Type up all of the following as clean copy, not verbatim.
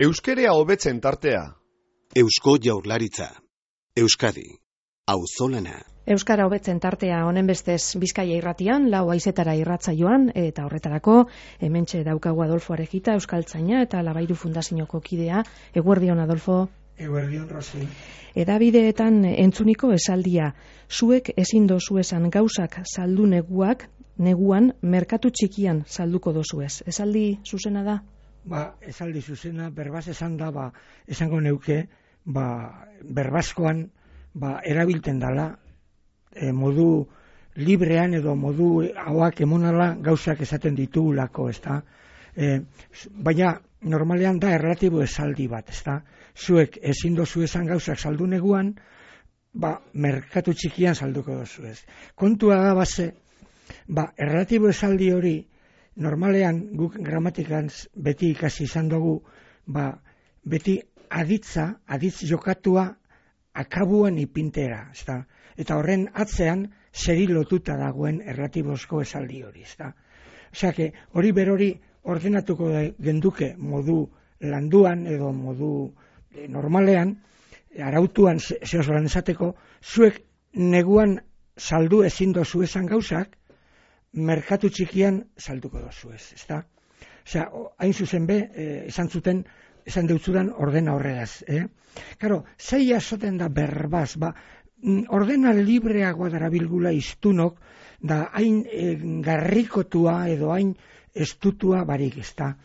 Euskerea hobetzen tartea. Eusko Jaurlaritza. Euskadi. Auzolana. Euskara hobetzen tartea honen bestez Bizkaia irratian, 4 haizetara irratsaioan, eta horretarako hementxe daukagu Adolfo Arejita, euskaltzaina eta Labairu Fundazioko kidea. Eguerdion, Adolfo. Eguerdion, Rosi. Edabideetan entzuniko esaldia, zuek ezin dozu esan gauzak saldu neguan merkatu txikian salduko dozu ez. Esaldi zuzena da? Esaldi zuzena, berbaz esan da, esango neuke, berbazkoan, erabilten dala, modu librean edo modu hauak emonala gauzak esaten ditugulako, ezta? Baina, normalean da erlatibo esaldi bat, ezta? Zuek ezin dozu esan gauzak saldu neguan, merkatu txikian salduko dozu ez. Kontua da base, erlatibo esaldi hori, normalean guk gramatikan beti ikasi izan dugu, beti aditz jokatua akabuan ipintera, ezta? Eta horren atzean seri lotuta dagoen erlatibozko esaldi hori, ezta? Osea, hori berori ordenatuko genduke modu landuan edo modu normalean, arautuan zehozoran esateko, zuek neguan saldu ezin dozu esan gauzak, merkatu txikian salduko dozu ez, ezta? Osea, hain zuzen esan deutzudan ordena horregaz, Karo, zei azoten da berbaz, ordena libreagoa darabilgula iztunok, da hain garrikotua edo hain estutua barik, ezta?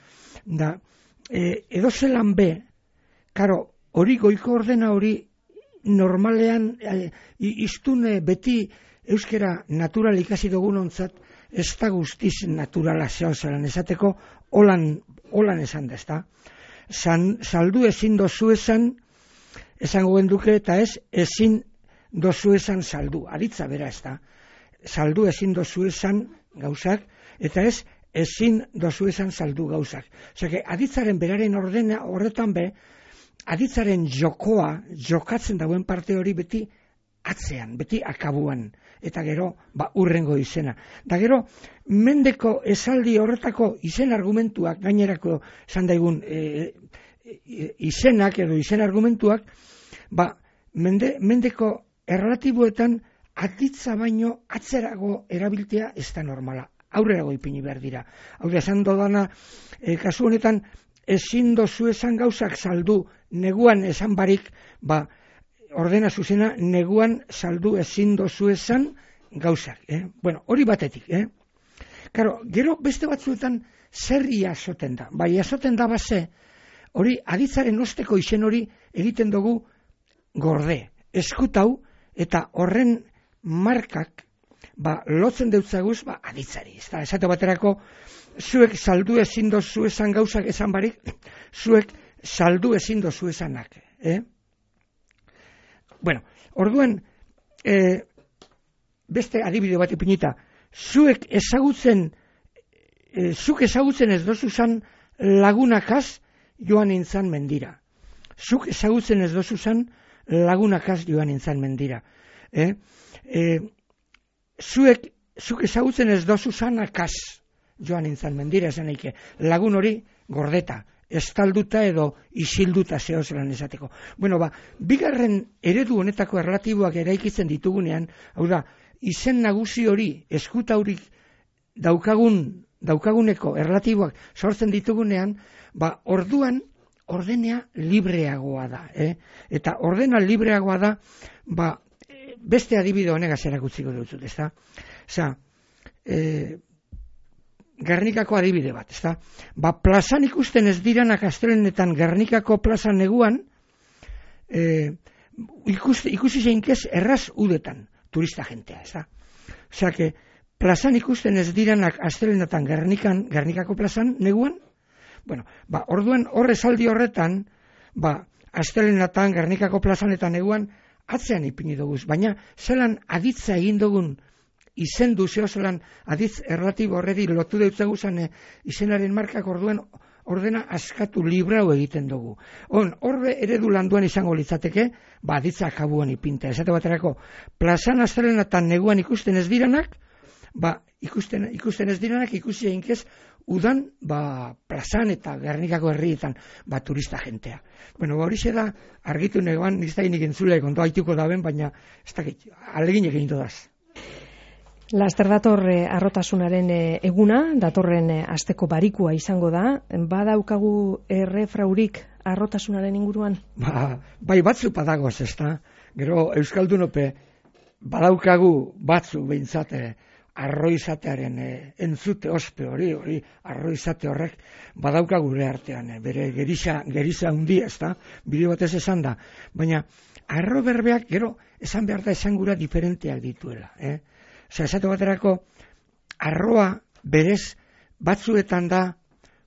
Da, edo zelan be, karo, hori goiko ordena hori normalean iztune beti euskera natural ikasi dugun ontzat, ez da guztiz naturala zehozelan esateko, holan esan da, ezta? Saldu ezin dozu esan, esango genduke, eta ez ezin dozu esan saldu, aritza bera, ezta? Saldu ezin dozu esan gauzak, eta ez ezin dozu esan saldu gauzak. Osea, aditzaren beraren ordena horretan be, aditzaren jokatzen dagoen parte hori beti atzean, beti akabuan, eta gero, urrengo izena. Da gero, mendeko esaldi horretako izen argumentuak, gainerako esan daigun izenak edo izen argumentuak, mendeko erlatiboetan aditza baino atzerago erabiltea ez da normala. Aurrerago ipini behar dira. Hau da, esan dodana, kasu honetan, ezin dozu esan gauzak saldu neguan esan barik, ordena zuzena, neguan saldu ezin dozu esan gauzak. Bueno, hori batetik. Karo, gero beste batzuetan zer iasoten da. Iasoten da base, hori aditzaren osteko izen hori egiten dugu gorde, eskutau, eta horren markak, lotzen deutzaguz, aditzari. Esate baterako, zuek saldu ezin dozu esan gauzak esan barik, zuek saldu ezin dozu esanak. Bueno, orduan, beste adibide bat ipinita, zuk ezagutzen ez dozuzan lagunakaz joan nintzan mendira. Zuk ezagutzen ez dozuzan lagunakaz joan nintzan mendira. Zuk ezagutzen ez dozuzan akaz joan nintzan mendira, esan eike, lagun hori gordeta, estalduta edo isilduta zehozelan esateko. Bueno, bigarren eredu honetako erlatiboak eraikitzen ditugunean, hau da, izen nagusi hori, eskutaurik daukaguneko erlatiboak sortzen ditugunean, orduan ordenea libreagoa da. Eta ordena libreagoa da, beste adibide honegaz erakutziko dut, ezta? Osea, Gernikako adibide bat, ezta? Plazan ikusten ez diranak astelenetan Gernikako plazan neguan, ikusi zeinkez erraz udetan, turista jentea, ezta? Osea, plazan ikusten ez diranak astelenetan Gernikako plazan neguan, bueno, orduan esaldi horretan, astelenetan Gernikako plazan eta neguan, atzean ipini dugu, baina zelan aditza egin dugun izen zehozelan aditz erlatibo horredi lotu deutzaguzan izenaren markak orduan ordena askatu librau egiten dugu. Horre eredu landuan izango litzateke, aditza akabuan ipinta. Esate baterako, plazan astelenetan neguan ikusten ez diranak, ikusten ez direnak ikusi eginkez, udan, plazan eta Gernikako herrietan, turista jentea. Bueno, hori da, argitu negoan, niztainik entzule, kondo haituko daben, baina, ez dakit, alegin egin dodaz. Laster dator arrotasunaren eguna, datorren asteko barikua izango da, badaukagu errefraurik arrotasunaren inguruan? Bai, batzu padagoz, ez da? Gero, Euskaldunope, badaukagu batzu behintzate, arroizatearen entzute ospe hori arroizate horrek badauka gure artean, bere gerisa hundi, ez da, bideo batez esan da, baina arro berbeak gero esan behar da esan gura diferenteak dituela. Esate baterako arroa berez batzuetan da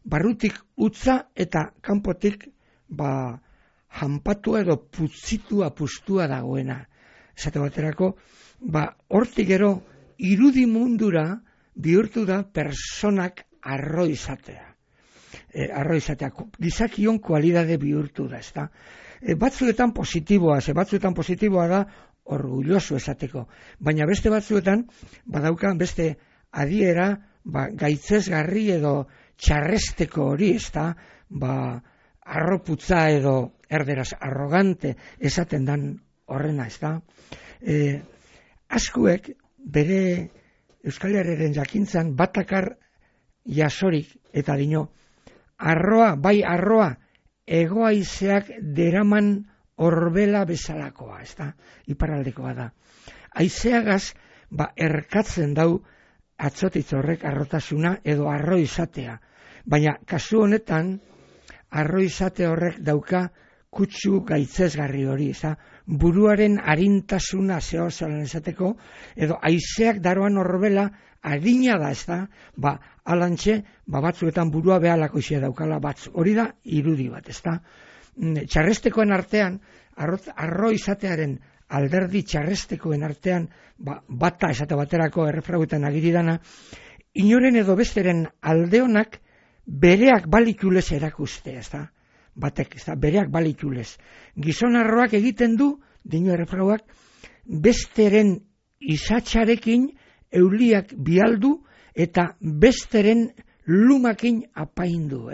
barrutik utza eta kanpotik janpatua edo putzitua pustua dagoena. Esate baterako hortik gero irudi mundura bihurtu da personak arroizatea. Arroizatea, gizakion kualidade bihurtu da, ez da. Batzuetan positiboa da orgulloso esateko, baina beste batzuetan badauka beste adiera gaitzesgarri edo txarresteko hori, ez da, arroputza edo erderaz arrogante esaten dan horrena, ez da. Askuek bere Euskal Herriaren jakintzan batakar jasorik eta dino arroa egoaizeak deraman orbela bezalakoa, ez da, iparraldekoa da. Aizeagaz erkatzen dau atzotitz horrek arrotasuna edo arroizatea, baina kasu honetan arroizate horrek dauka kutsu gaitzesgarri hori, ez da, buruaren arintasuna zehozalan esateko, edo haizeak daroan orbela adina da, ez da, alantxe, batzuetan burua behalako izia daukala batzu. Hori da, irudi bat, ez da. Txarrestekoen artean, arro izatearen alderdi txarrestekoen artean, bata esate baterako errefrauetan agiridana, inoren edo besteren aldeonak bereak balikulez erakuste, ez da. Batek, ez da, bereak balikulez. Gizon arroak egiten du, dino errefrauak, besteren izatxarekin euliak bialdu eta besteren lumakin apaindu,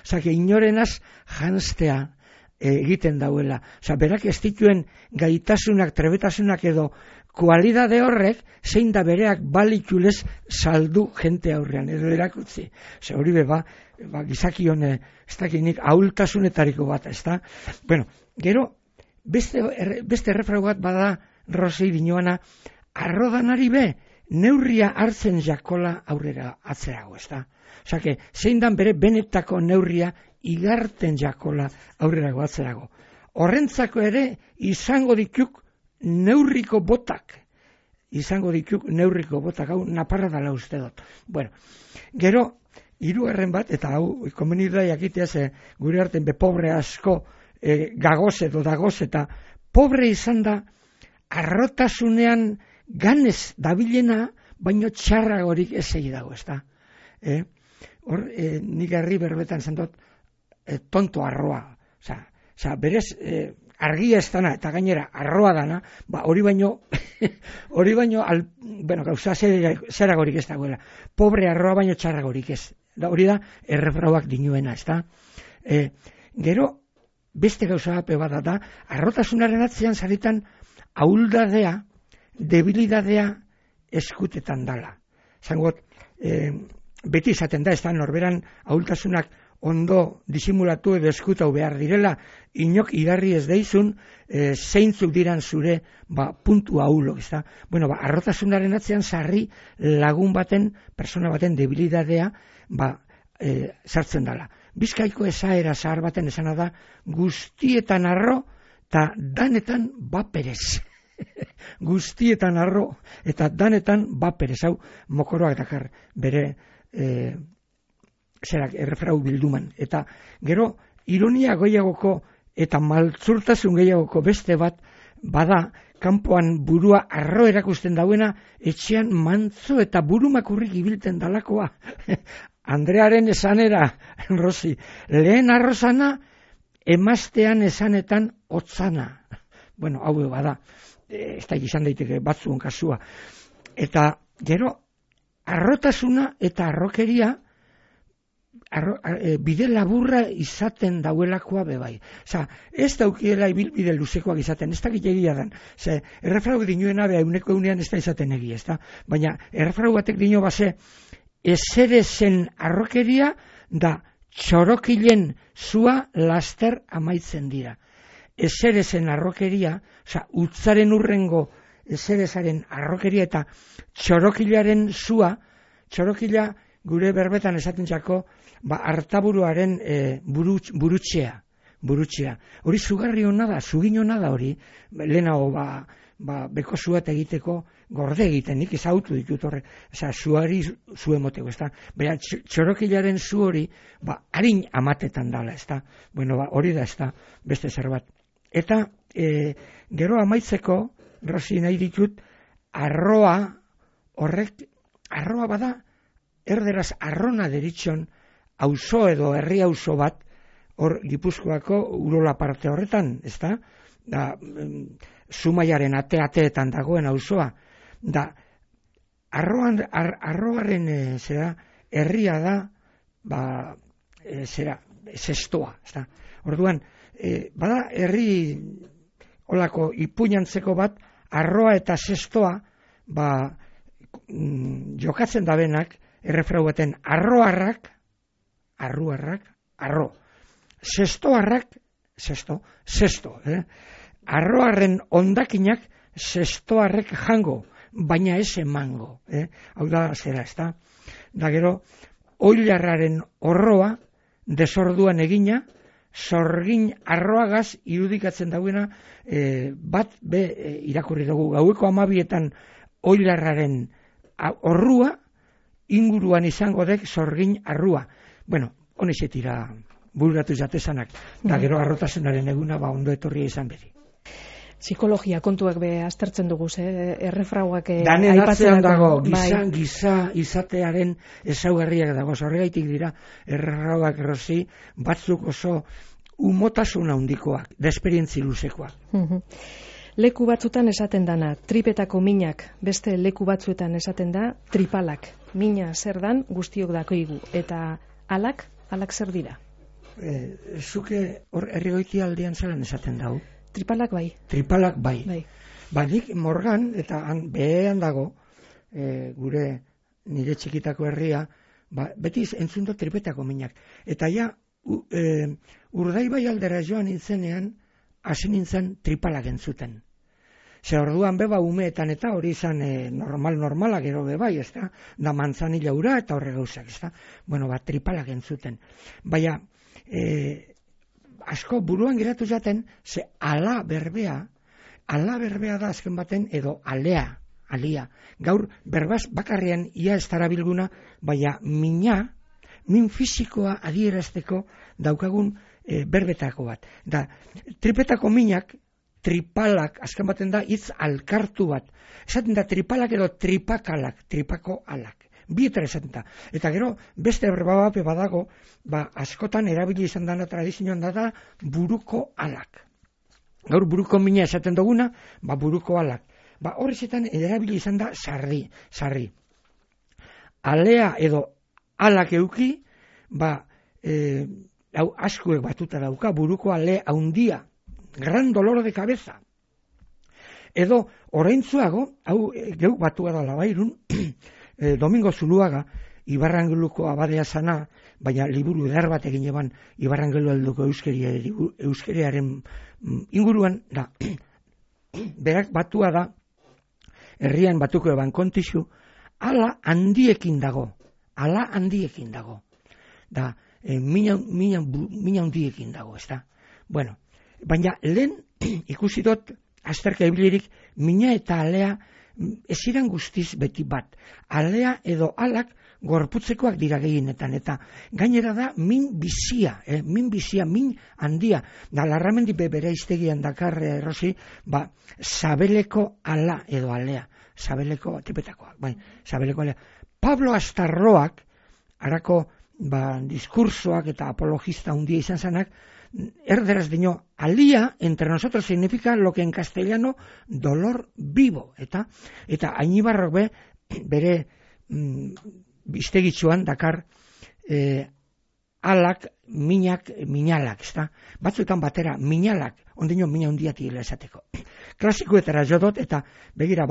Zake, inorenaz janstea egiten dauela. Berak ez dituen gaitasunak, trebetasunak edo kualidade horrek, zein da bereak balikulez saldu jente aurrean, edo erakutzi. Hori gizakion, ez dakinik, ahultasunetariko bat, ez da. Bueno, gero, beste errefrau bat bada Rosei dinoana, arrodanari neurria hartzen jakola aurrera atzerago, ez da. Osake, zein dan bere benetako neurria igarten jakola aurrerago atzerago. Horrentzako ere izango dituk neurriko botak. Hau naparra dala uste dut. Bueno, gero, hirugarren bat, eta hau, komeni da jakitea ze gure arten pobre asko gagoz edo dagoz, eta pobre izan da arrotasunean ganez dabilena, baino txarragorik ez egi dago, ez da. Nik herri berbetan zendot tonto arroa. Berez argia ez dana, eta gainera arroa dana, hori baino, gauza zeragorik ez dagoela. Pobre arroa baino txarragorik ez. Hori da, errefrauak dinuena, ez da. Gero, beste gauza bat da, arrotasunaren atzean zaritan ahuldadea, debilidadea eskutetan dala. Zangot, beti izaten da, ez da, norberan ahultasunak ondo disimulatu edo eskutau behar direla, inok idarri ez deizun, zeintzuk diran zure puntu ahulo, ez da. Bueno, arrotasunaren atzean sarri lagun baten, persona baten debilidadea sartzen dala. Bizkaiko esaera zahar baten esana da, guztietan arro eta danetan baperez. Guztietan arro eta danetan baperez, hau mokoroak dakar bere errefrau bilduman. Eta gero, ironia gehiagoko eta maltzurtasun gehiagoko beste bat bada, kanpoan burua arro erakusten dauena, etxean mantzo eta burumakurrik ibilten dalakoa. Andrearen esanera, Rosi, lehen arrozana, emaztean esanetan otzana. Bueno, hau bada, ez da izan daiteke batzuen kasua. Eta gero, arrotasuna eta arrokeria bide laburra izaten dauelakoa bebai. Osa, ez daukiela ibilbide luzekoak izaten, ez dakit egia dan. Ze, errefrau dinuena beha euneko eunean ez da izaten egia, ez da? Baina, errefrau batek dino base, ezerezen arrokeria da txorokilen zua laster amaitzen dira. Ezerezen arrokeria, osa, utzaren urrengo ezerezaren arrokeria eta txorokilaren zua, txorokila gure berbetan esaten txako, artaburuaren burutxea. Hori zugarri hona da, zugin hona da hori, lehenago beko zuat egiteko gorde egiten, nik ezautu ditut horre, zuari zu emoteko, ez da? Baina txorokilaren zu hori, harin amatetan dala, ez da? Bueno, hori da, ez da, beste zer bat. Eta, gero amaitzeko, Rosi nahi ditut, arroa bada, erderaz arrona deritxon, auzo edo herri auzo bat, hor Gipuzkoako Urola parte horretan, ez da? Zumaiaren ateetan dagoen auzoa. Da, arroaren herria da, zestoa, ez da? Orduan, bada herri olako ipuñantzeko bat, arroa eta zestoa, jokatzen dabenak, errefrau baten, arroarrak, arro. Zestoarrak, zesto. Arroarren ondakinak zestoarrek jango, baina ez emango. Hau da, zera, ez da? Da gero, oilarraren horroa, desorduan egina, zorgin arroagaz irudikatzen dauena, bat irakurri dugu. Gaueko 12etan oilarraren horrua, inguruan izango dek zorgin arrua. Bueno, honexetira burgatu jatezanak, da gero arrotasunaren eguna ondo etorria izan bedi. Psikologia kontuak be aztertzen dugu, errefrauak danen atzean dago, giza izatearen ezaugarriak dago, horregaitik dira errefrauak Rosi, batzuk oso umotasuna handikoak, desperientzi luzekoak. Leku batzutan esaten dana, tripetako minak, beste leku batzuetan esaten da, tripalak. Mina zer dan guztiok dakoigu, eta alak zer dira? Zuke hor herrigoiti aldean zalan esaten dau? Tripalak bai. Tripalak bai. Nik Morgan, eta behean dago, gure nire txikitako herria, beti entzun dut tripetako minak. Eta ja, Urdaibai aldera joan nintzenean, hasi nintzen tripalak entzuten. Ze orduan beba umeetan eta hori izan normala gero bebai, ez da? Da manzanila ura eta horre gauzak, ez da? Bueno, tripalak entzuten. Baina, asko buruan geratu jaten, ze ala berbea da azken baten, edo alia. Gaur, berbaz bakarrean ia ez darabilguna, baina min fisikoa adierazteko daukagun berbetako bat. Da, tripetako minak, tripalak, azken baten da, hitz alkartu bat. Esaten da tripalak edo tripakalak, tripako alak. Bietara esaten da. Eta gero, beste berbabape badago, askotan erabili izan dana tradizioan da buruko alak. Gaur buruko mina esaten duguna, buruko alak. Horrezetan erabili izan da sarri. Alea edo alak euki, hau askuek batuta dauka, buruko ale haundia, gran dolor de cabeza. Edo, oraintzuago, hau geuk batua da labairun, Domingo Zuluaga, Ibarrangeluko abadea zana, baina liburu edar bat egin eban Ibarrangelu alduko euskeriaren inguruan, da, berak batua da, herrian batuko eban kontixu, ala handiekin dago. Da, mina handiekin dago, ez da. Bueno, baina lehen ikusi dut, azterka ibilirik, mina eta alea eziran guztiz beti bat. Alea edo alak gorputzekoak dira gehienetan, eta gainera da min bizia, min handia. Da, Larramendi bere iztegian dakar, Rosi, sabeleko ala edo alea. Sabeleko, tipetakoak, sabeleko alea. Pablo Astarroak, harako diskursoak eta apologista handia izan zanak, erderaz dino, alía entre nosotros significa lo que en castellano dolor vivo, eta Añibarrok bere biztegitxuan dakar alak, minalak, ezta? Batzuetan batera, minalak, ondino mina hundiati esateko. Klasikoetara jodot, eta begira,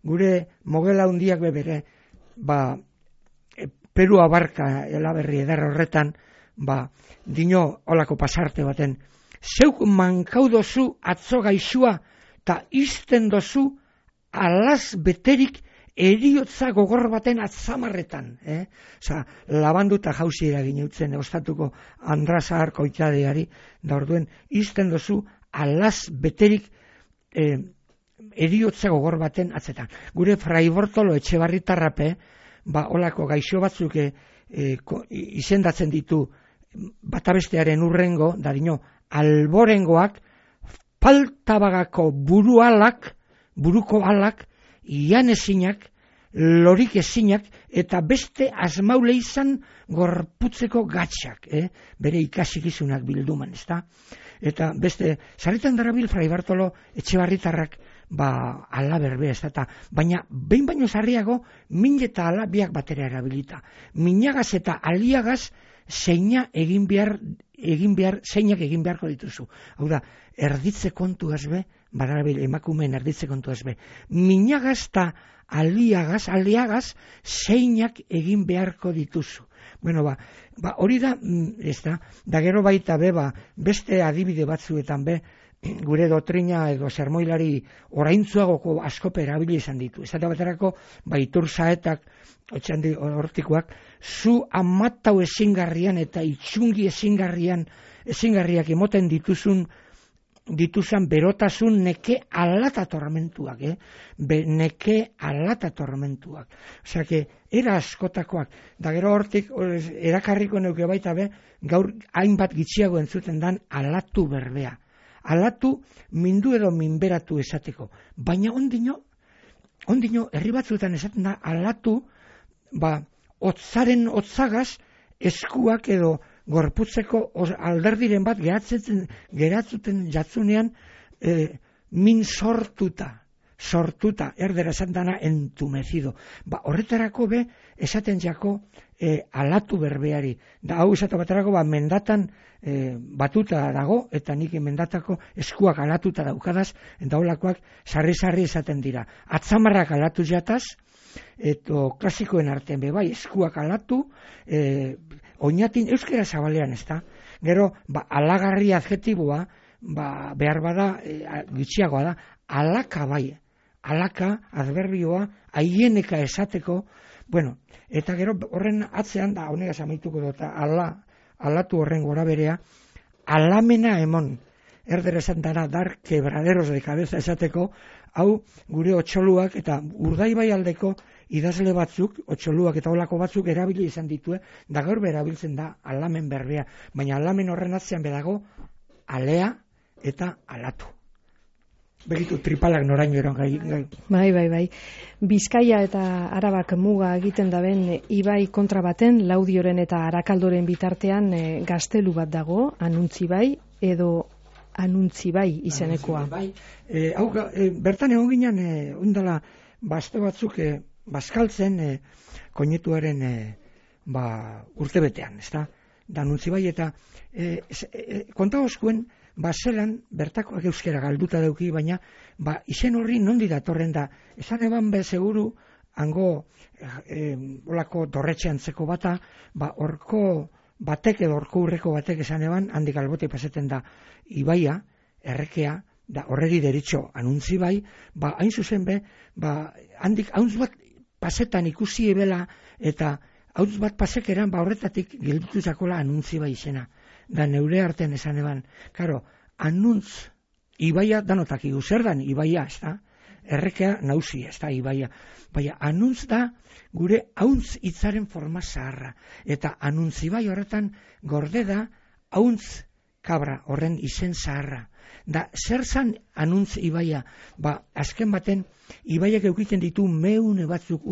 gure mogela hundiak bebere, Peru abarka elaberri eder horretan, dino olako pasarte baten, zeuk mankau dozu atzo gaixua, eta izten dozu alaz beterik eriotza gogor baten atzamarretan. Labanduta jauzi eragin eutzen, ostatuko Andrazahar koitadeari, da orduen, izten dozu alaz beterik eriotza gogor baten atzetan. Gure Fray Bortolo Etxebarritarrape, olako gaixo batzuk izendatzen ditu batabestearen urrengo, da dino, alborengoak, paltabagako buruko alak, ian ezinak, lorik ezinak, eta beste asmaule izan gorputzeko gatxak, bere ikasikizunak bilduman, ezta? Eta beste, sarritan darabil Fray Bartolo Etxebarritarrak, ala berbe, ez da, baina behin baino zarriago, min eta ala biak batera erabilita. Minagaz eta aliagaz zeinak egin beharko dituzu. Hau da, erditze kontu ezbe, badarabil emakumeen erditze kontu ezbe. Minagaz eta aliagaz zeinak egin beharko dituzu. Bueno, hori da, ez da gero baita beste adibide batzuetan gure dotrina edo sermoilari oraintzuagoko askope erabili izan ditu. Ez da baterako, Itur Saetak, otxandi hortikoak, zu amatau ezingarrian eta itxungi ezingarriak emoten dituzun berotasun neke alata tormentuak, neke alata tormentuak. Osea, era askotakoak, da gero hortik erakarriko neuke baita gaur hainbat gitxiago entzuten dan alatu berbea. Alatu mindu edo minberatu esateko. Baina ondino, herri batzuetan esaten da, alatu, otzagaz eskuak edo gorputzeko alderdiren bat geratzuten jatzunean min sortuta, erdera esan dana entumezido. Horretarako esaten jako alatu berbeari. Da hau esatu baterako mendatan batuta dago, eta nik mendatako eskuak alatuta daukadaz, eta holakoak sarri-sarri esaten dira. Atzamarrak alatu jataz, eta klasikoen artean eskuak alatu, oinatin euskera zabalean, ez da? Gero, alagarri adjetiboa, behar bada, gitxiagoa da, alaka alaka, adverbioa, aieneka esateko, bueno, eta gero horren atzean, da honegaz amaituko dut, alatu horren gora berea, alamena emon, erdera esan dara, dar quebraderos de cabeza esateko, hau gure otxoluak eta Urdaibai aldeko idazle batzuk, otxoluak eta olako batzuk erabili izan ditue, da gaur berabiltzen da alamen berbea, baina alamen horren atzean bedago, alea eta alatu. Begitu tripalak noraino eron gai. Bai. Bizkaia eta Arabak muga egiten daben ibai kontra baten, Laudioren eta Arakaldoren bitartean gaztelu bat dago, Anuntzibai edo Anuntzibai izenekoa. Bertan egon ginen, ondala, aste batzuk bazkaltzen koinetuaren urtebetean, ez da? Da Anuntzibai eta konta oskuen, zelan, bertakoak euskera galduta dauki, baina izen horri nondi datorren da. Esan eban seguru, hango olako dorretxeantzeko bata, horko batek edo horko urreko batek esan eban, handik albote paseten da ibaia, errekea, da horregi deritxo Anuntzibai, hain zuzen handik hauntz bat pasetan ikusi ebela, eta hauntz bat pasekeran, horretatik gildutu zakola Anuntzibai izena. Da neure artean esan eban, karo, anuntz, ibaia danotak zer dan ibaia, ez da? Errekea nauzi, ez da, ibaia. Baina, anuntz da gure hauntz hitzaren forma zaharra. Eta Anuntzibai horretan gorde da hauntz kabra horren izen zaharra. Da, zer zan anuntz ibaia? Azken baten, ibaiak eukiten ditu meune batzuk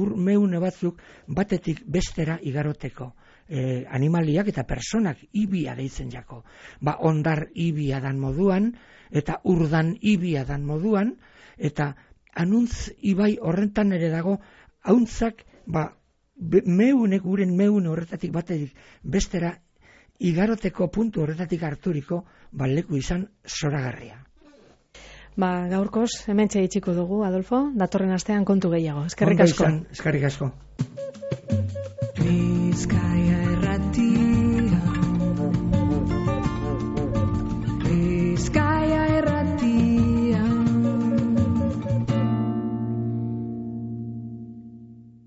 batetik bestera igaroteko. Animaliak eta personak ibia deitzen jako. Ondar ibia dan moduan, eta urdan ibia dan moduan, eta anuntz ibai horrentan ere dago, hauntzak meunek guren meun horretatik batetik bestera igaroteko puntu horretatik harturiko leku izan zoragarria. Gaurkoz, hementxe itxiko dugu, Adolfo, datorren astean kontu gehiago. Eskerrik asko. Eskerrik asko. Bizkaia